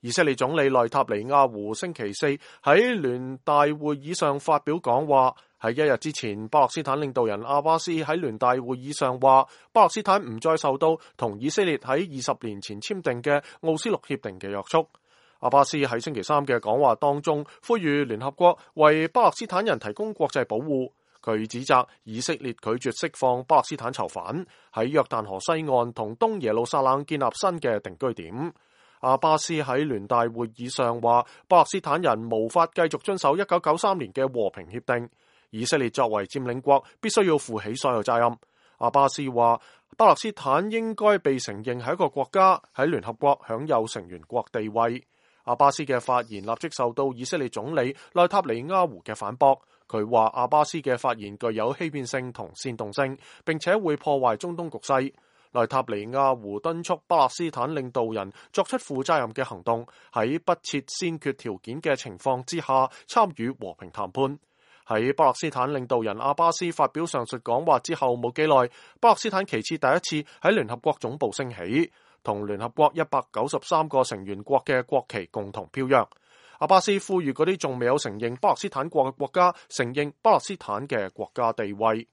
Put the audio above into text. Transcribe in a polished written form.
以色列總理內塔尼亞胡星期四喺聯大會議上發表講話，喺一日之前，巴勒斯坦領導人阿巴斯喺聯大會議上話，巴勒斯坦唔再受到同以色列喺20年前簽訂嘅奧斯陸協定嘅約束。阿巴斯喺星期三嘅講話當中，呼籲聯合國為巴勒斯坦人提供國際保護。佢指責以色列拒絕釋放巴勒斯坦囚犯，喺約旦河西岸同東耶路撒冷建立新嘅定居點。阿巴斯喺聯大會議上話，巴勒斯坦人無法繼續遵守1993年嘅和平協定，以色列作為佔領國必須要負起所有責任。阿巴斯話，巴勒斯坦應該被承認係一個國家，喺聯合國享有成員國地位。阿巴斯嘅發言立即受到以色列總理內塔尼亞胡嘅反駁，佢話阿巴斯嘅發言具有欺騙性同煽動性，並且會破壞中東局勢。內塔尼亞胡敦促巴勒斯坦領導人作出負責任嘅行動，喺不設先決條件嘅情況之下參與和平談判。喺巴勒斯坦領導人阿巴斯發表上述講話之後冇幾耐，巴勒斯坦旗幟第一次喺聯合國總部升起，同聯合國193個成員國嘅國旗共同飄揚。阿巴斯呼籲嗰啲仲未有承認巴勒斯坦國嘅國家承認巴勒斯坦嘅國家地位。